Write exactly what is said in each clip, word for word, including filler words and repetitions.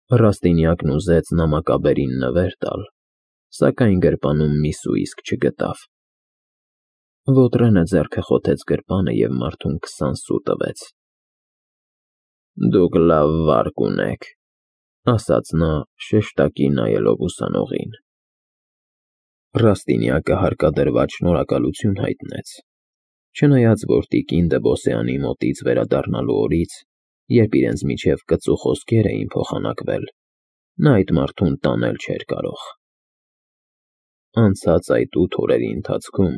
Ռաստինյակն ուզեց նամակաբերին նվեր տալ, սակայն գրպանում մի սուիսկ չգտավ։ Ոտրենը ձեռքը խոթեց գրպանը և մարդուն քսան սու տվեց։ ֊ Դուք լավ վարկ ունեք, ֊ ասաց նա՝ շեշտակի նայելով ուսանողին։ Ռաստինյակը հարկադրված շնորհակալություն հայտնեց, չնայած որ տիկին Դբոսյանի մոտից վերադառնալու օրից, երբ իրենց միջև կծու խոսքեր էին փոխանակվել, նա այդ մարդուն տանել չէր կարող։ Անցած այդ ութ օրերի ընթացքում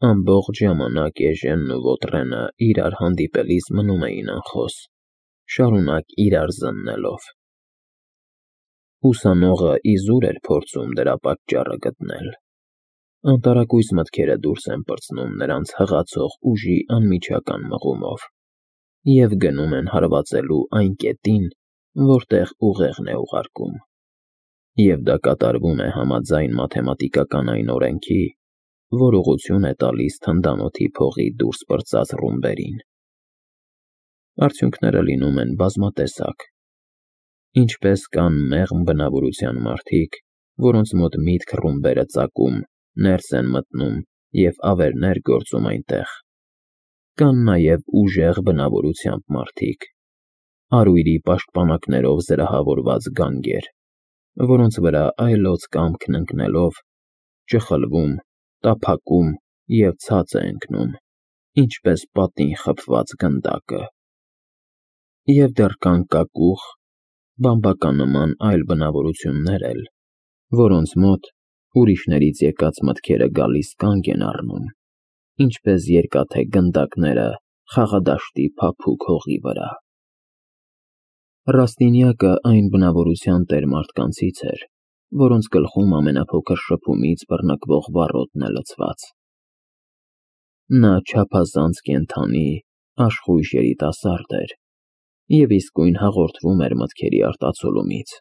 ամբողջ ժամանակ Էժենն ու Ոտրենը իրար հանդիպելիս մնում էին անխոս, շարունակ իրար զննելով։ Ուսանողը իզուր էր փորձում դրա պատճառը գտնել։ Անտարակույս մտքերը դուրս են պրծնում նրանց հղացող ուժի անմիջական մղումով և գնում են հարվածելու այն կետին, որտեղ ուղեղն է ուղարկում։ Եվ դա կատարվում է համաձայն մաթեմատիկական այն օրենքի, որ ուղղություն է տալիս թնդանոթի փողի դուրս պրծած ռումբերին։ Արդյունքները լինում են բազմատեսակ։ Ինչպես կան մեղմ բնավորության մարդիկ, որոնց մոտ միտք ռումբերը ծակում, ներս են մտնում և ավերներ գործում այնտեղ, կան նաև ուժեղ բնավորությամբ մարդիկ, արույրի պաշտպանակներով զրահավորված գանգեր, որոնց վրա այլոց կամքն ընկնելով՝ ճխլվում, տափակում և ցած է ընկնում, ինչպես պատին խփված գնդակը։ Եվ դեռ կան կակուղ, բամբականման այլ բնավորություններ էլ, որոնց մոտ ուրիշներից եկած մտքերը գալիս կանգ են առնում, ինչպես երկաթե գնդակները խաղադաշտի փափուկ հողի վրա։ Ռաստինյակը այն բնավորության տեր մարդկանցից էր, որոնց գլխում ամենափոքր շփումից բռնկվող վառոդն է լցված։ Նա չափազանց կենդանի, աշխույժ երիտասարդ էր և իսկույն հաղորդվում էր մտքերի արտացոլումից,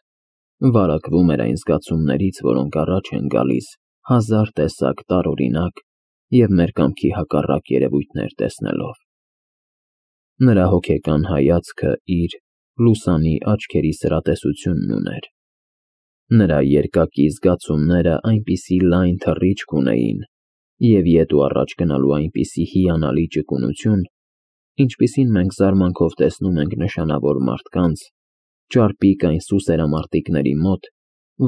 վարակվում էր այն զգացումներից, որոնք առաջ են գալիս հազար տեսակ տարօրինակ և մեր կամքի հակառակ երևույթներ տեսնելով։ Նրա հոգեկան հայացքը իր լուսանի աչքերի սրատեսությունն ուներ։ Նրա երկակի զգացումները այնպիսի լայն թռիչք ունեին և ետ ու առաջ գնալու այնպիսի հիանալի ճկունություն, ինչպիսին մենք զարմանքով տեսնում ենք նշանավոր մարդկանց, ճարպիկ այն սուսերամարտիկների մոտ,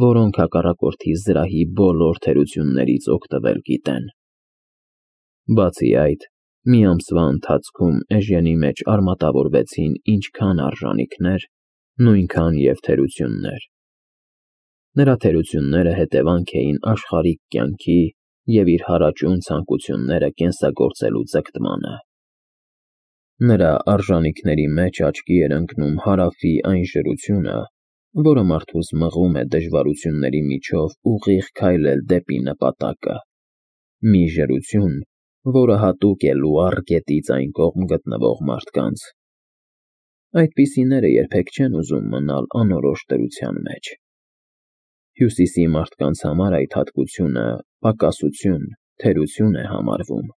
որոնք հակառակորդի զրահի բոլոր թերություններից օգտվել գիտեն։ Բացի այդ, մի ամսվա ընթացքում Էժենի մեջ արմատավորվեցին ինչքան արժանիքներ, նույնքան և թերություններ։ Նրա թերությունները հետևանք էին աշխարհիկ կյանքի և իր հարաճուն ցանկությունները կենսագործելու ձգտմանը։ Նրա արժանիքների մեջ աչքի էր ընկնում Հարավի այն ժռությունը, որը մարդուս մղում է դժվարությունների միջով ուղիղ քայլել դեպի նպատակը, մի ժռություն, որը հատուկ է լուառ գետից այն կողմ գտնվող մարդկանց։ Այդպիսիները երբեք չեն ուզում մնալ անորոշ դրության մեջ։ Հյուսիսի մարդկանց համար այդ հատկությունը պակասություն, թերություն է համարվում։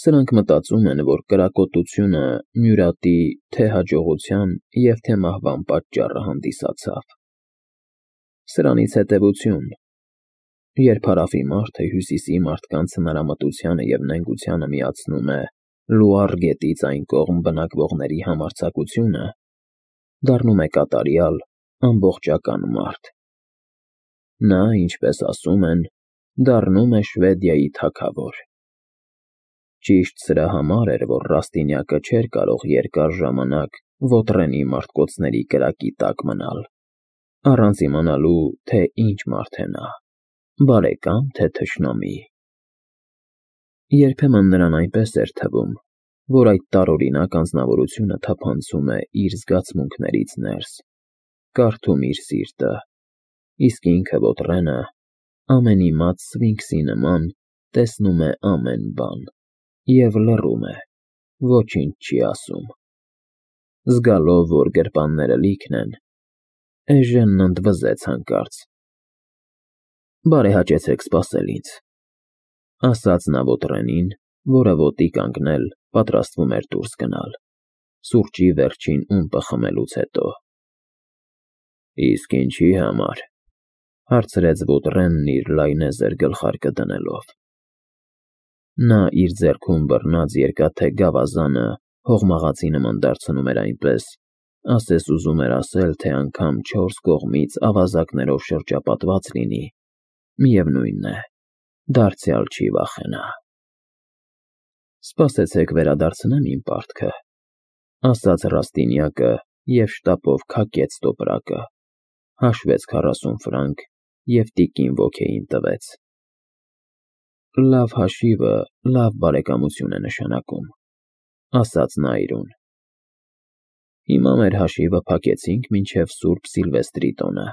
Սրանք մտածում են, որ կրակոտությունը մյուրատի թե՛ հաջողության և թե՛ մահվան պատճառը հանդիսացավ։ Սրանից հետևություն. երբ Հարավի մարդը Հյուսիսի մարդկանց հնարամտությանը և նենգությանը միացնում է լուառ գետից այն կողմ բնակվողների համարձակությունը, դառնում է կատարյալ, ամբողջական մարդ։ Նա, ինչպես ասում են, դառնում է Շվեդիայի թագավոր։ Ճիշտ սրա համար էր, որ Ռաստինյակը չէր կարող երկար ժամանակ Ոտրենի մարտկոցների կրակի տակ մնալ, առանց իմանալու, թե ինչ մարդ է նա՝ բարեկա՞մ, թե թշնամի։ Երբեմն նրան այնպես էր թվում, որ այդ տարօրինակ անձնավորությունը թափանցում է իր զգացմունքներից ներս, կարդում իր սիրտը, իսկ ինքը՝ Ոտրենը, ամենիմաց սվինքսի նման, տեսնում է ամեն բան և լռում է, ոչինչ չի ասում։ Զգալով, որ գրպանները լիքն են, Էժենն ընդվզեց հանկարծ. «Բարեհաճեցեք սպասել ինձ», ֊ ասաց նա Ոտրենին, որը ոտի կանգնել պատրաստվում էր դուրս գնալ՝ սուրճի վերջին ումպը խմելուց հետո։ Իսկ ինչի համար, հարցրեց Ոտրենն իր լայնեզր գլխարկը դնելով։ Նա իր ձեռքում բռնած երկաթե գավազանը հողմաղացի նման դարձնում էր այնպես, ասես ուզում էր ասել, թե անգամ չորս կողմից ավազակներով շրջապատված լինի, միևնույն է, դարձյալ չի վախենա։ Սպասեցեք վերադարձնեմ իմ պարտքը, ասաց Ռաստինյակը և շտապով քակեց տոպրակը, հաշվեց քառասուն ֆրանկ և տիկին ոգեին տվեց։ Լավ հաշիվը լավ բարեկամություն է նշանակում, ասաց նա իրուն։ Հիմա մեր հաշիվը փակեցինք մինչև Սուրբ Սիլվեստրի տոնը։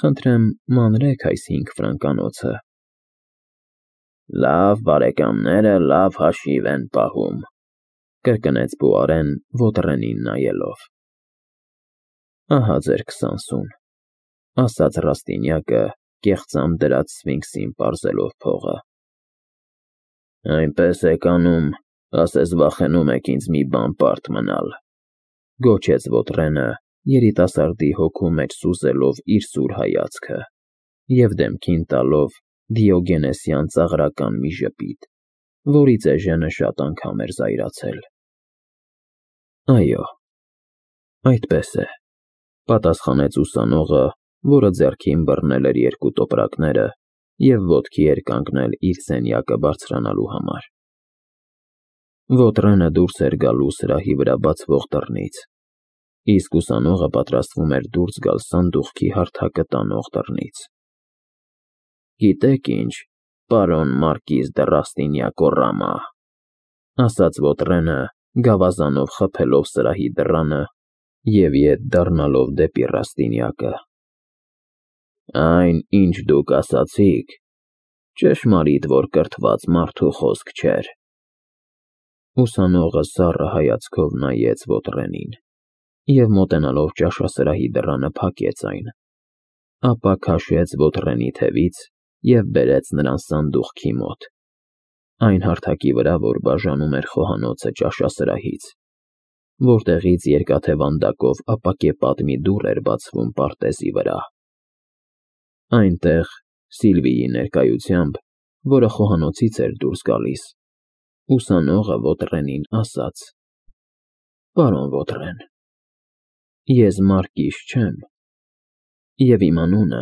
Խնդրեմ մանրեք այս հինգ ֆրանկանոցը։ Լավ բարեկամները լավ հաշիվ են պահում, կրկնեց Պուարեն Ոտրենին նայելով։ Ահա ձեր քսան սուն, ասաց Ռաստինյակը, կեղծամ դրած սֆինքսին պարզելով փողը։ Այնպես եք անում, ասես վախենում եք ինձ մի բան պարտ մնալ, գոչեց Ոտրենը, երիտասարդի հոգու մեջ սուզելով իր սուր հայացքը և դեմքին տալով դիոգենեսյան ծաղրական մի ժպիտ, որից էժենը շատ անգամ էր զայրացել։ Այո, այդպես է, պատասխանեց ուսանողը, որը ձեռքին բռնել էր երկու տոպրակները և ոտքի էր կանգնել իր սենյակը բարձրանալու համար։ Ոտրենը դուրս էր գալու սրահի վրա բացվող դռնից, իսկ ուսանողը պատրաստվում էր դուրս գալ սանդուղքի հարթակը տանող դռնից։ Գիտեք ինչ, պարոն մարկիզ դը Ռաստինյակոռամա, ասաց Ոտրենը, գավազանով խփելով սրահի դռանը և ետ դառնալով դեպի Ռաստինյակը։ Այն, ինչ դուք ասացիք, ճշմարիտ որ կրթված մարդու խոսք չէր։ Ուսանողը սառը հայացքով նայեց Ոտրենին և մոտենալով ճաշասրահի դռանը փակեց այն, ապա քաշեց Ոտրենի թևից և բերեց նրան սանդուղքի մոտ, այն հարթակի վրա, որ բաժանում էր խոհանոցը ճաշասրահից, որտեղից երկաթե վանդակով ապակեպատ մի դուռ էր բացվում պարտեզի վրա։ Այնտեղ, Սիլվիի ներկայությամբ, որը խոհանոցից էր դուրս գալիս, ուսանողը Ոտրենին ասաց. Պարոն Ոտրեն, ես Մարկիզ չեմ, և իմ անունը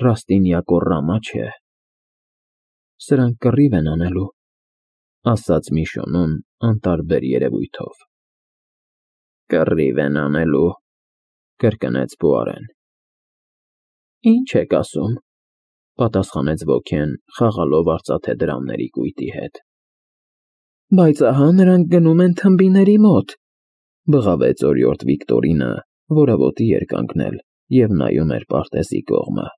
Ռաստինյակոռամա չէ։ Սրանք կռիվ են անելու, ասաց Միշոնուն անտարբեր երևույթով։ Կռիվ են անելու, կրկնեց Պուարեն։ Ինչ եք ասում, պատասխանեց ոգեն, խաղալով արծաթե դրամների կույտի հետ։ Բայց ահա նրանք գնում են թմբիների մոտ, բղավեց օրիորդ Վիկտորինը, որը ոտի էր կանգնել և նայում էր պարտեզի կողմը։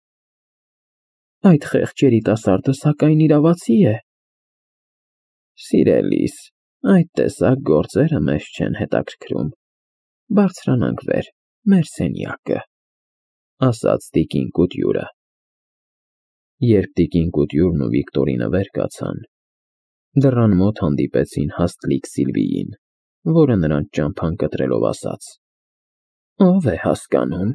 Այդ խեղճ երիտասարդը սակայն իրավացի է։ Սիրելիս, այդ տեսակ գործերը մեզ չեն հետաքրքրում, բարձրանանք վեր, մեր սենյակը, ասաց տիկին Կուտյուրը։ Երբ տիկին Կուտյուրն ու Վիկտորինը վեր կացան, դռան մոտ հանդիպեցին հաստլիկ Սիլվիին, որը նրանց ճամփան կտրելով ասաց. Ով է հասկանում,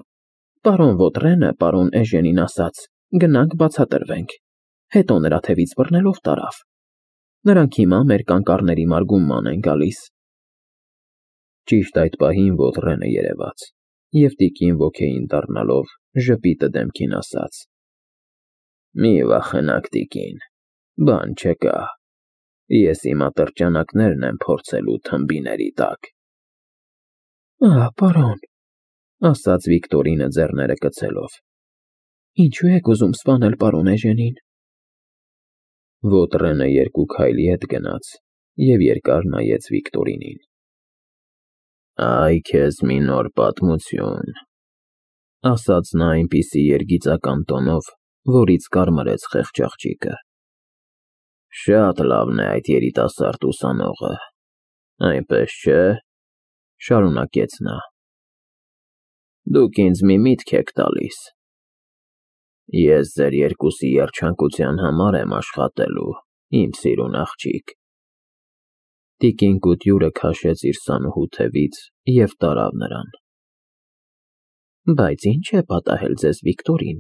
պարոն Ոտրենը պարոն Էժենին ասաց, գնանք բացատրվենք, հետո նրա թևից բռնելով տարավ։ Նրանք հիմա մեր կանկարների մարգումման են գալիս։ Ճիշտ այդ պահին Ոտրենը երևաց և տիկին ոգեին դառնալով ժպիտը դեմքին ասաց. Մի վախենաք, տիկին, բան չկա, ես իմ ատրճանակներն եմ փորձելու թմբիների տակ։ Ահ, պարոն, ասաց Վիկտորինը ձեռները կցելով, ինչու եք ուզում սպանել պարոն Էժենին։ Ոտրենը երկու քայլ ետ գնաց և երկար նայեց Վիկտորինին։ Այ քեզ մի նոր պատմություն, ասաց նա այնպիսի երգիծական տոնով, որից կարմրեց խեղճ աղջիկը։ Շատ լավն է այդ երիտասարդ ուսանողը, այնպես չէ, շարունակեց նա։ Դուք ինձ մի միտք եք տալիս։ Ես ձեր երկուսի երջանկության համար եմ աշխատելու, իմ սիրուն աղջիկ։ Տիկին Կուտյուրը քաշեց իր սանուհու թևից և տարավ նրան։ Բայց ինչ է պատահել ձեզ, Վիկտորին,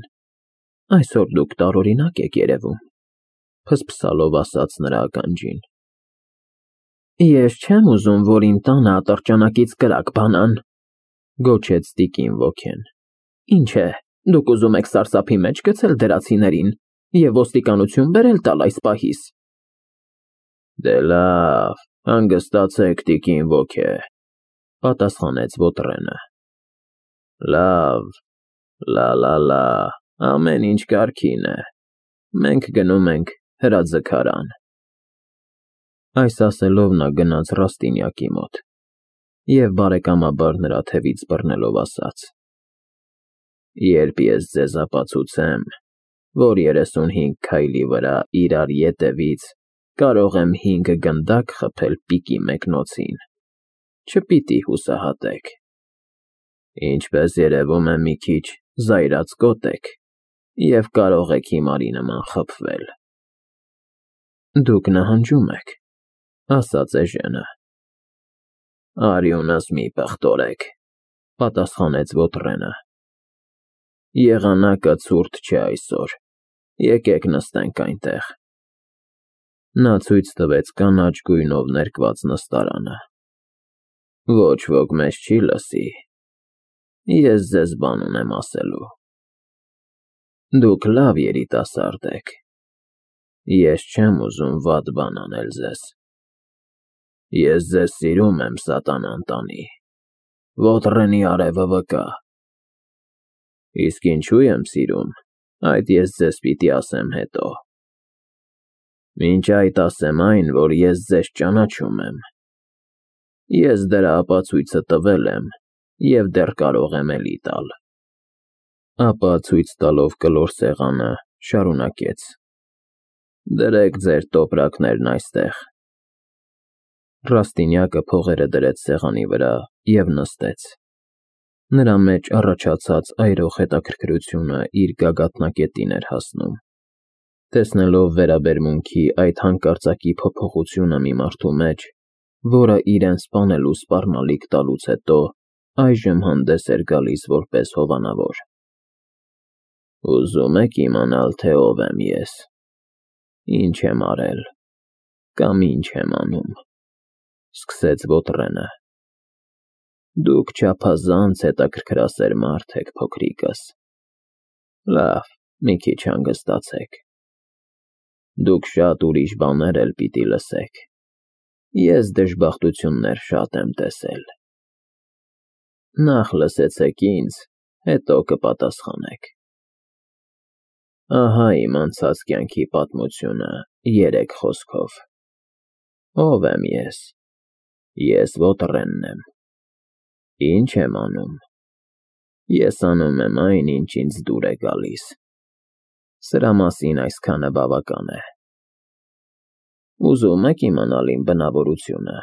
այսօր դուք տարօրինակ եք երևում, փսփսալով ասաց նրա ականջին։ Ես չեմ ուզում, որ իմ տանը ատրճանակից կրակ բանան, գոչեց տիկին ոգեն։ Ինչ է, դուք ուզում եք սարսափի մեջ գցել դրացիներին և ոստիկանություն բերել տալ այս պահիս։ Դե լավ, հանգստացեք, տիկին ոգե, պատասխանեց Ոտրենը։ Լավ, լա-լա-լա, ամեն ինչ կարգին է, մենք գնում ենք հրաձգարան։ Այս ասելով նա գնաց Ռաստինյակի մոտ և բարեկամաբար նրա թևից բռնելով ասաց. Երբ ես ձեզ ապացուցեմ, որ երեսունհինգ քայլի վրա իրար ետևից կարող եմ հինգ գնդակ խփել պիկի մեկնոցին, չպիտի հուսահատեք, ինչպես երևում է մի քիչ զայրացկոտ եք և կարող եք հիմարի նման խփվել։ Դուք նահանջում եք, ասաց Էժենը։ Արյունս մի պղտորեք, պատասխանեց Ոտրենը։ Եղանակը ցուրտ չէ այսօր, եկեք նստենք այնտեղ։ Նա ցույց տվեց կանաչ գույնով ներկված նստարանը։ Ոչ ոք մեզ չի լսի, ես ձեզ բան ունեմ ասելու։ Դուք լավ երիտասարդ եք, ես չեմ ուզում վատ բան անել ձեզ։ Ես ձեզ սիրում եմ, սատանան տանի, Ոտրենի արևը վկա։ Իսկ ինչու եմ սիրում, այդ ես ձեզ պիտի ասեմ հետո։ Մինչ այդ ասեմ այն, որ ես ձեզ ճանաչում եմ։ Ես դրա ապացույցը տվել եմ և դեռ կարող եմ էլի տալ։ Ապա ցույց տալով կլոր սեղանը, շարունակեց. Դրեք ձեր տոպրակներն այստեղ։ Ռաստինյակը փողերը դրեց սեղանի վրա և նստեց։ Նրա մեջ առաջացած այրող հետաքրքրությունը իր գագաթնակետին էր հասնում։ Տեսնելով վերաբերմունքի այդ հանկարծակի փոփոխությունը մի մարդու մեջ, որը իրեն սպանելու սպառնալիք տալուց հետո այժմ հանդես էր գալիս որպես հովանավոր։ Ուզում եք իմանալ, թե ով եմ ես, ինչ եմ արել կամ ինչ եմ անում, սկսեց Ոտրենը։ Դուք չափազանց հետաքրքրասեր մարդ եք, փոքրիկս։ Լավ, մի քիչ հանգստացեք։ Դուք շատ ուրիշ բաներ էլ պիտի լսեք։ Ես դժբախտություններ շատ եմ տեսել։ Նախ լսեցեք ինձ, հետո կպատասխանեք։ Ահա իմ անցած կյանքի պատմությունը երեք խոսքով։ Ով եմ ես։ Ես Ոտրենն եմ։ Ինչ եմ անում։ Ես անում եմ այն, ինչ ինձ դուր է գալիս։ Սրա մասին այսքանը բավական է։ Ուզում եք իմանալ իմ բնավորությունը։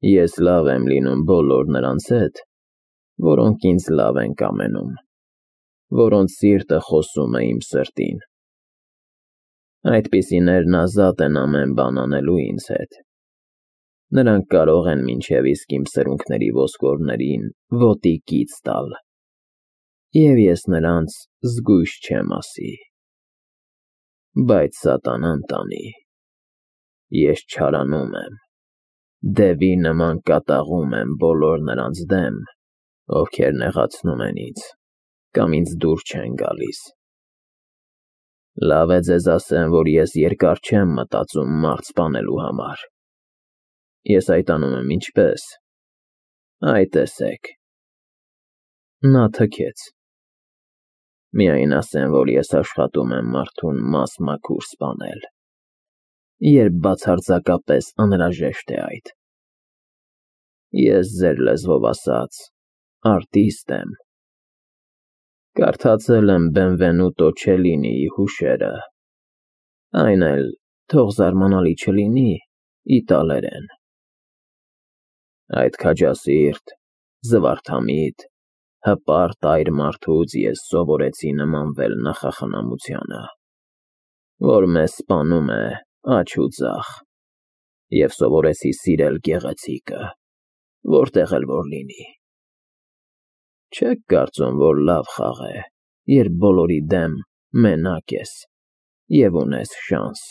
Ես լավ եմ լինում բոլոր նրանց հետ, որոնք ինձ լավ են կամենում, որոնց սիրտը խոսում է իմ սրտին։ Այդպիսիներն ազատ են ամեն բան անելու ինձ հետ։ Նրանք կարող են մինչև իսկ իմ սրունքների ոսկորներին ոտի կից տալ։ Եվ ես նրանց զգույշ չեմ ասի։ Բայց սատանան տանի, ես չարանում եմ, դևի նման կատաղում եմ բոլոր նրանց դեմ, ովքեր նեղացնում են ինձ կամ ինձ դուր չեն գալիս։ Լավ է ձեզ ասեմ, որ ես երկար չեմ մտածում մարդ սպանելու համար։ Ես այդ անում եմ ինչպես։ Այ տեսեք։ Նա թքեց։ Միայն ասեմ, որ ես աշխատում եմ մարդուն մաս-մաքուր սպանել, երբ բացարձակապես անհրաժեշտ է այդ։ Ես ձեր լեզվով ասած արտիստ եմ։ Կարդացել եմ Բենվենուտո Չելինիի հուշերը, այն էլ, թող զարմանալի չլինի, իտալերեն։ Այդ քաջասիրտ, զվարթամիտ, հպարտ այր մարդուց ես սովորեցի նմանվել նախախնամությանը, որ մեզ սպանում է աջ ու ձախ, և սովորեցի սիրել գեղեցիկը, որտեղ էլ որ լինի։ Չեք կարծում, որ լավ խաղ է, երբ բոլորի դեմ մենակ ես և ունես շանս։